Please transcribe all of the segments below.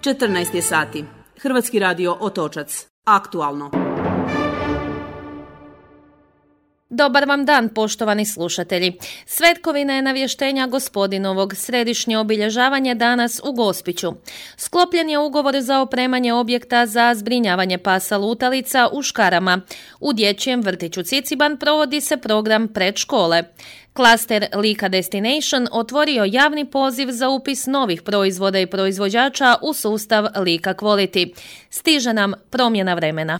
14 je sati. Hrvatski radio Otočac. Aktualno. Dobar vam dan, poštovani slušatelji. Svetkovina je navještenja Gospodinovog, središnje obilježavanje danas u Gospiću. Sklopljen je ugovor za opremanje objekta za zbrinjavanje pasa lutalica u Škarama. U dječjem vrtiću Ciciban provodi se program predškole. Klaster Lika Destination otvorio javni poziv za upis novih proizvoda i proizvođača u sustav Lika Quality. Stiže nam promjena vremena.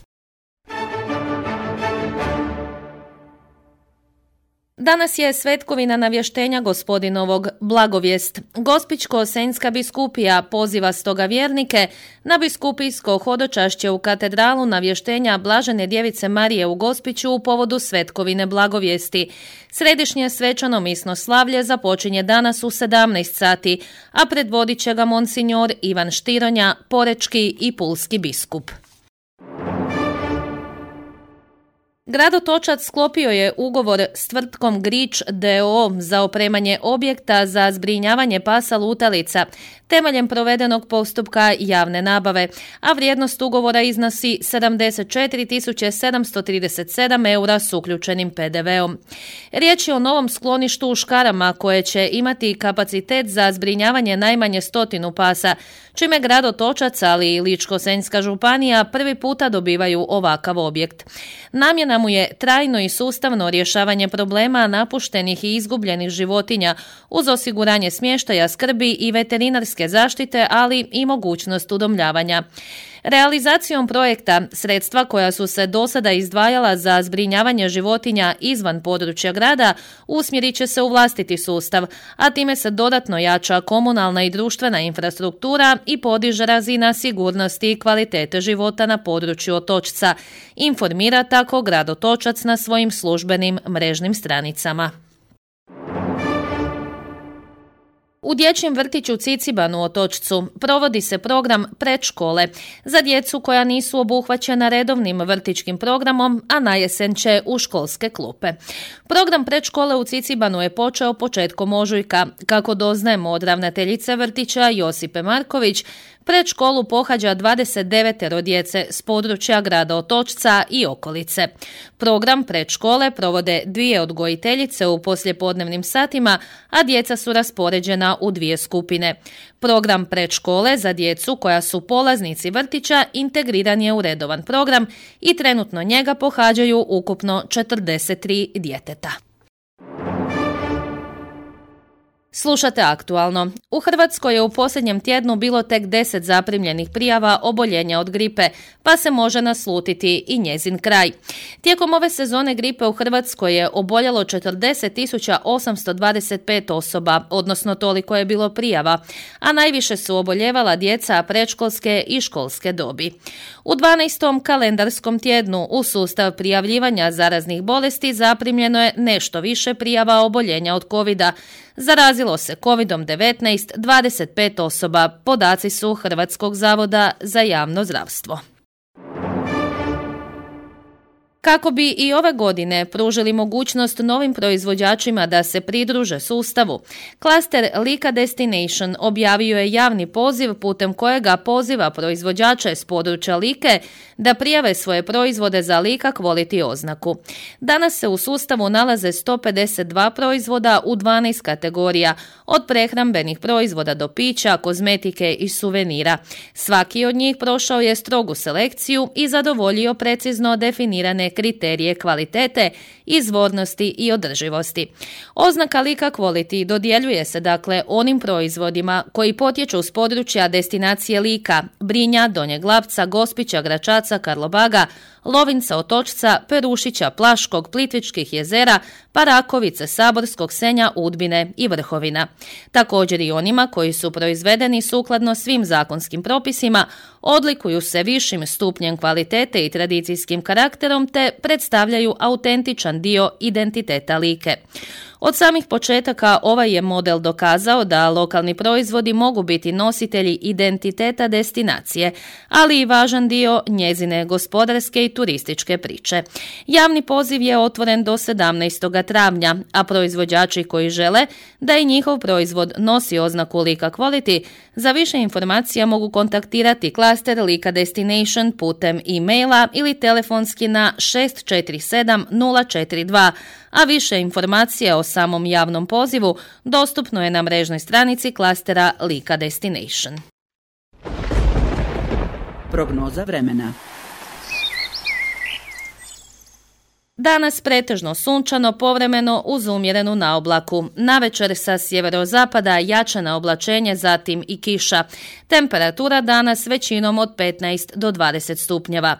Danas je svetkovina navještenja Gospodinovog, blagovijest. Gospićko-senjska biskupija poziva stoga vjernike na biskupijsko hodočašće u katedralu navještenja Blažene djevice Marije u Gospiću u povodu svetkovine blagovijesti. Središnje svečano misno slavlje započinje danas u 17 sati, a predvodit će ga monsinjor Ivan Štironja, porečki i pulski biskup. Grad Otočac sklopio je ugovor s tvrtkom Grič d.o.o. za opremanje objekta za zbrinjavanje pasa lutalica temeljem provedenog postupka javne nabave, a vrijednost ugovora iznosi 74.737 eura s uključenim PDV-om. Riječ je o novom skloništu u Škarama koje će imati kapacitet za zbrinjavanje najmanje 100 pasa, čime grad Otočac, ali i Ličko-senjska županija prvi puta dobivaju ovakav objekt. Namjena mu je trajno i sustavno rješavanje problema napuštenih i izgubljenih životinja uz osiguranje smještaja, skrbi i veterinarske zaštite, ali i mogućnost udomljavanja. Realizacijom projekta sredstva koja su se do sada izdvajala za zbrinjavanje životinja izvan područja grada usmjerit će se u vlastiti sustav, a time se dodatno jača komunalna i društvena infrastruktura i podiže razina sigurnosti i kvalitete života na području Otočca, informira tako grad Otočac na svojim službenim mrežnim stranicama. U dječjem vrtiću Ciciban u Otočcu provodi se program predškole za djecu koja nisu obuhvaćena redovnim vrtićkim programom, a na jesen će u školske klupe. Program predškole u Cicibanu je počeo početkom ožujka. Kako doznajemo od ravnateljice vrtića Josipe Marković, predškolu pohađa 29 djece s područja grada Otočca i okolice. Program predškole provode 2 odgojiteljice u poslijepodnevnim satima, a djeca su raspoređena u 2 skupine. Program predškole za djecu koja su polaznici vrtića integriran je u redovan program i trenutno njega pohađaju ukupno 43 djeteta. Slušate aktualno. U Hrvatskoj je u posljednjem tjednu bilo tek 10 zaprimljenih prijava oboljenja od gripe, pa se može naslutiti i njezin kraj. Tijekom ove sezone gripe u Hrvatskoj je oboljelo 40.825 osoba, odnosno toliko je bilo prijava, a najviše su oboljevala djeca predškolske i školske dobi. U 12. kalendarskom tjednu u sustav prijavljivanja zaraznih bolesti zaprimljeno je nešto više prijava oboljenja od covida. Zarazilo se covidom-19 25 osoba, podaci su Hrvatskog zavoda za javno zdravstvo. Kako bi i ove godine pružili mogućnost novim proizvođačima da se pridruže sustavu, klaster Lika Destination objavio je javni poziv putem kojega poziva proizvođače s područja Like da prijave svoje proizvode za Lika Quality oznaku. Danas se u sustavu nalaze 152 proizvoda u 12 kategorija, od prehrambenih proizvoda do pića, kozmetike i suvenira. Svaki od njih prošao je strogu selekciju i zadovoljio precizno definirane kriterije kvalitete, izvornosti i održivosti. Oznaka Lika Quality dodjeljuje se dakle onim proizvodima koji potječu s područja destinacije Lika, Brinja, Donjeg Lapca, Gospića, Gračaca, Karlobaga, Lovinca, Otočca, Perušića, Plaškog, Plitvičkih jezera, Parakovice, Saborskog, Senja, Udbine i Vrhovina. Također i onima koji su proizvedeni sukladno svim zakonskim propisima, odlikuju se višim stupnjem kvalitete i tradicijskim karakterom te predstavljaju autentičan dio identiteta Like. Od samih početaka ovaj je model dokazao da lokalni proizvodi mogu biti nositelji identiteta destinacije, ali i važan dio njezine gospodarske i turističke priče. Javni poziv je otvoren do 17. travnja, a proizvođači koji žele da i njihov proizvod nosi oznaku Lika Quality, za više informacija mogu kontaktirati klaster Lika Destination putem e-maila ili telefonski na 647 042, a više informacija o samom javnom pozivu dostupno je na mrežnoj stranici klastera Lika Destination. Prognoza vremena. Danas pretežno sunčano, povremeno uz umjerenu naoblaku. Navečer sa sjeverozapada jača oblačenje, zatim i kiša. Temperatura danas većinom od 15 do 20 stupnjeva.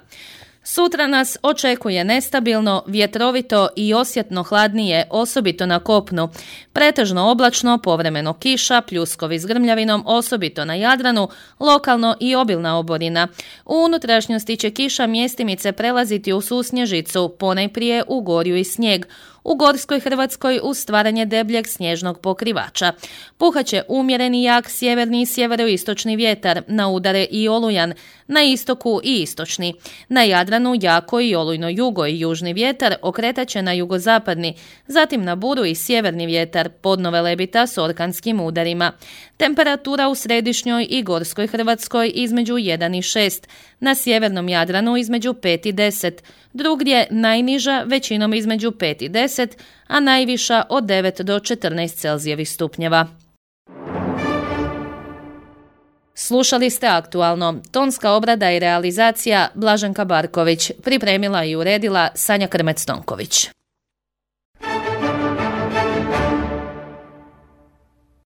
Sutra nas očekuje nestabilno, vjetrovito i osjetno hladnije, osobito na kopnu. Pretežno oblačno, povremeno kiša, pljuskovi s grmljavinom, osobito na Jadranu, lokalno i obilna oborina. U unutrašnjosti će kiša mjestimice prelaziti u susnježicu, ponajprije u gorju i snijeg. U gorskoj Hrvatskoj uz stvaranje debljeg snježnog pokrivača. Puhaće umjereni jak sjeverni i sjeveroistočni vjetar, na udare i olujan, na istoku i istočni. Na Jadranu jako i olujno jugo i južni vjetar okretaće na jugozapadni, zatim na buru i sjeverni vjetar, podnove lebita s orkanskim udarima. Temperatura u središnjoj i gorskoj Hrvatskoj između 1 i 6, na sjevernom Jadranu između 5 i 10, drugdje najniža većinom između 5 i 10, a najviša od 9 do 14 Celzijevih stupnjeva. Slušali ste Aktualno. Tonska obrada i realizacija Blaženka Barković. Pripremila i uredila Sanja Krmec-Tonković.